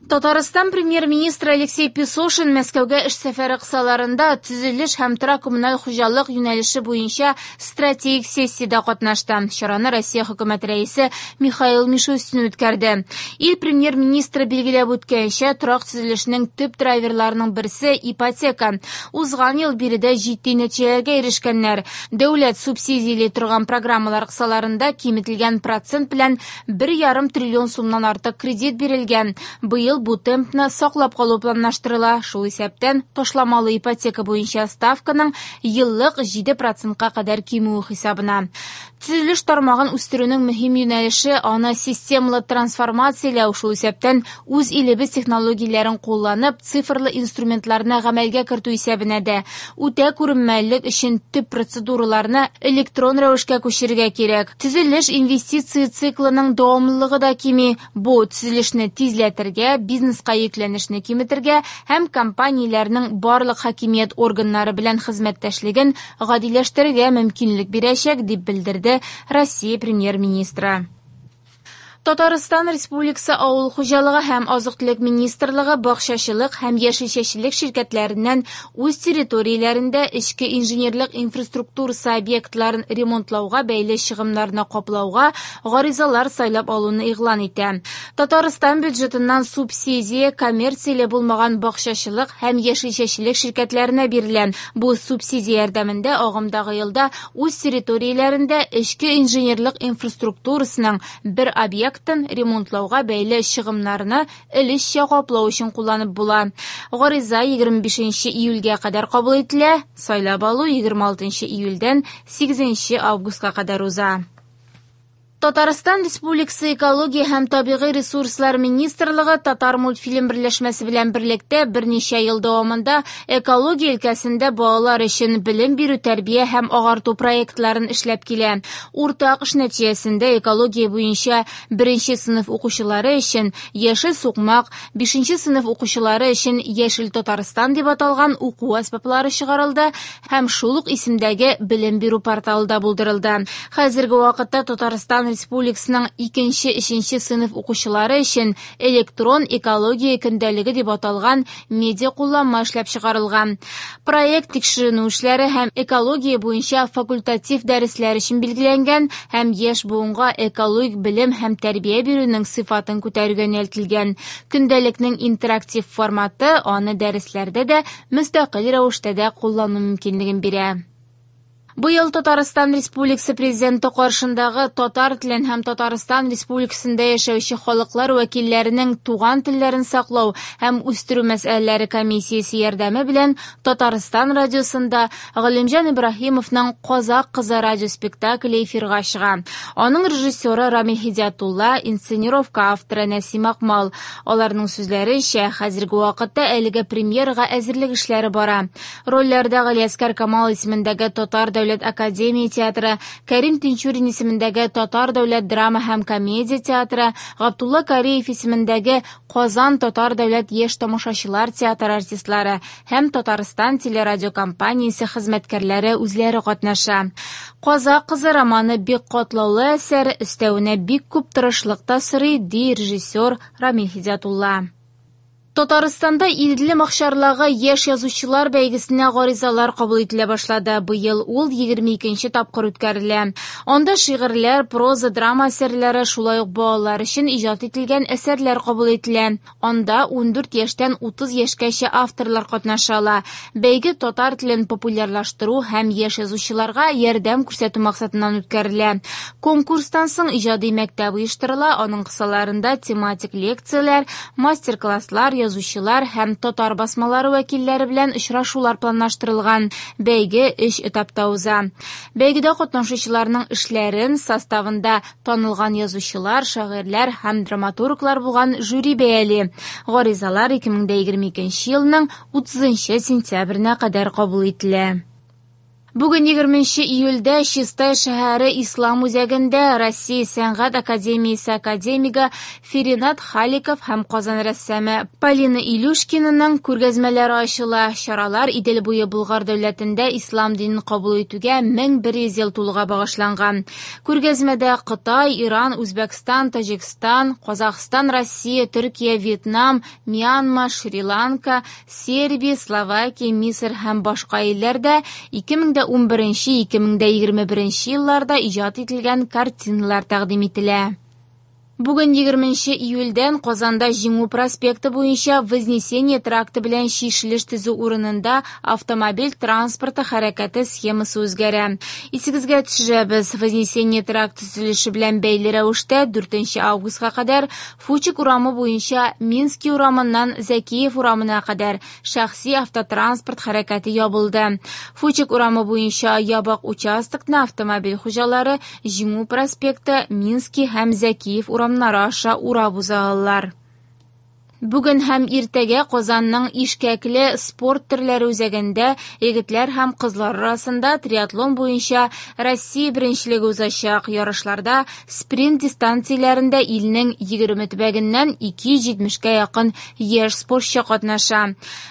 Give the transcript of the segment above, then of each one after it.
Татарстан Премьер-министры Алексей Песошин Мәскәүгә эш сәфәре кысаларында төзелеш һәм торак-коммуналь хуҗалык юнәлеше буенча стратегик сессиядә катнашты. Чараны Россия Хөкүмәте Рәисе Михаил Мишустин үткәрде. Ил Премьер-министры билгеләп үткәнчә, торак төзелешенең төп драйверларының берсе – ипотека. Узган ел биредә җитди нәтиҗәләргә ирешкәннәр. Дәүләт субсидияли торган программалар кысаларында киметелгән процент белән 1,5 триллион сумнан артык кредит бирелгән. Быел бу темпны саклап калу планлаштырыла, шул исәптән ташламалы ипотека буенча ставканың еллык 7 процентка кадәр кимүе хисабына. Төзелеш тармагын үстерүнең мөһим юнәлеше аны системалы трансформацияләү, шул исәптән үз илебез технологияләрен кулланып, цифрлы инструментларны гамәлгә кертү исәбенә дә. Үтә күренмәлелек өчен төп процедураларны электрон рәвешкә күчерергә кирәк. Төзелеш инвестиция циклының дәвамлылыгы да кими. Бу төзелешне тизләтергә, бизнеска йөкләнешне киметергә һәм компанияләрнең барлык хакимият органнары белән хезмәттәшлеген гадиләштерергә мөмкинлек бирәчәк, дип белдерде Россия Премьер-министры. Татарстан Республикасы Авыл хуҗалыгы һәм азык-төлек министрлыгы бакчачылык һәм яшелчәчелек ширкәтләреннән үз территорияләрендә эчке инженерлык инфраструктурасы объектларын ремонтлауга бәйле чыгымнарны каплауга гаризалар сайлап алуны игълан итә. Татарстан бюджетыннан субсидия коммерцияле булмаган бакчачылык һәм яшелчәчелек ширкәтләренә бирелә. Бу субсидия ярдәмендә агымдагы елда үз территорияләрендә эчке инженерлык инфраструктурасының бер объектын ремонтлауга бәйле чыгымнарны өлешчә каплау өчен кулланып була. Гариза 25 июльгә кадәр кабул ителә, сайлап алу 26 июльдән 8 августка кадәр уза. Татарстан Республикасы Экология һәм табигый ресурслар министрлыгы Татар мультфильм берләшмәсе белән берлектә берничә ел дәвамында экология өлкәсендә балалар өчен белем бирү, тәрбия һәм агарту проектларын эшләп килә. Уртак эш нәтиҗәсендә экология буенча беренче сыйныф укучылары өчен Яшел сукмак, бишенче сыйныф укучылары өчен Яшел Татарстан дип аталган уку әсбаплары чыгарылды һәм шул ук исемдәге белем бирү порталы да булдырылды. Хәзерге вакытта Татарстан Республикасының икенче-өченче сыйныф укучылары өчен электрон экология көндәлеге дип аталган медиа кулланма эшләп чыгарылган. Проект тикшеренү эшләре һәм экология буенча факультатив дәресләр өчен билгеләнгән һәм яшь буынга экологик белем һәм тәрбия бирүнең сыйфатын күтәрүгә юнәлтелгән. Көндәлекнең интерактив форматы аны дәресләрдә дә, мөстәкыйль рәвештә дә куллану мөмкинлеген бирә. Быел Татарстан Республикасы Президенты каршындагы татар телен һәм Татарстан Республикасында яшәүче халыклар вәкилләренең туган телләрен саклау һәм үстерү мәсьәләләре комиссиясе ярдәме белән Татарстан радиосында Галимҗан Ибраһимовның Казак кызы радиоспектакле эфирга чыга. Аның режиссеры Рамил Һидиятулла, инсценировка авторы Нәсим Акмал. Аларның сүзләренчә, хәзерге вакытта әлеге премьерага әзерлек эшләре бара. Рольләрдә Галиәсгар Камал исемендәге Татар дәүләт академия театры, Кәрим Тинчурин исемендәге Татар дәүләт драма һәм комедия театры, Габдулла Кариев исемендәге Казан татар дәүләт яшь тамашачылар театры артистлары һәм Татарстан телерадиокомпаниясе хезмәткәрләре үзләре катнаша. Казак кызы романы бик катлаулы әсәр, өстәвенә бик күп тырышлык та сорый, ди режиссер Рамил Һидиятулла. Татарстанда Иделем акчарлагы яшь язучылар бәйгесенә гаризалар кабул ителә башлады. Быел ул 22 тапкыр үткәрелә. Анда шигырьләр, проза, драма әсәрләре, шулай ук балалар өчен иҗат ителгән әсәрләр кабул ителә. Анда 14 яшьтән 30 яшькәчә авторлар катнаша ала. Бәйге татар телен популярлаштыру һәм яшь язучыларга ярдәм күрсәтү максатыннан үткәрелә. Конкурстан соң иҗади мәктәп оештырыла, аның кысаларында тематик лекцияләр, мастер-класслар, язучылар һәм татар басмалары вәкилләре белән очрашулар планлаштырылган. Бәйге өч этапта уза. Бәйгедә катнашучыларның эшләрен составында танылган язучылар, шагыйрьләр һәм драматурглар булган жюри бәяли. Гаризалар 2022 елның 30 сентябренә кадәр кабул ителә. Бүген 20 июльдә Чистай шәһәре Ислам үзәгендә Россия сәнгать академиясе академигы Феринат Халиков һәм Казан рәссамы Полина Илюшкинаның күргәзмәләре ачыла. Чаралар Идел буе Болгар дәүләтендә ислам динен кабул итүгә 1100 ел тулуга багышланган. Күргәзмәдә Кытай, Иран, Үзбәкстан, Таҗикстан, Казахстан, Россия, Төркия, Вьетнам, Мьянма, Шри-Ланка, Сербия, Словакия, Мисыр һәм башка илләрдә 2011-2021 елларда иҗат ителгән картиналар тәкъдим ителә. Бүген 20 июльдән Казанда Җиңү проспекты буенча Вознесение тракты белән чишелеш төзү урынында автомобиль транспорты хәрәкәте схемасы үзгәрә. Исегезгә төшерәбез, Вознесение тракты төзелеше белән бәйле рәвештә 4 августка кадәр Фучик урамы буенча Минский урамыннан Зәкиев урамына кадәр шәхси автотранспорт хәрәкәте ябылды. Фучик урамы буенча ябык участокны автомобиль хуҗалары Җиңү проспекты, Минский һәм Зәкиев урамнары аша урап уза алалар. Бүген һәм иртәгә Казанның Ишкәкле спорт төрләре үзәгендә егетләр һәм кызлар арасында триатлон буенча Россия беренчелеге узачак. Ярышларда спринт дистанцияләрендә илнең 20 төбәгеннән 270-кә якын яшь спортчы катнаша.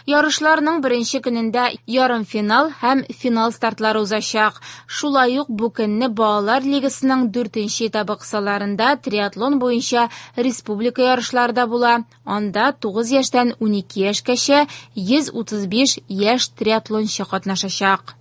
Ярышларның беренче көнендә ярымфинал һәм финал стартлары узачак. Шулай ук бу көнне балалар лигасының 4нче этабы кысаларында триатлон буенча республика ярышлары да була. Анда 9 яшьтән 12 яшькәчә 135 яшь триатлончы катнашачак.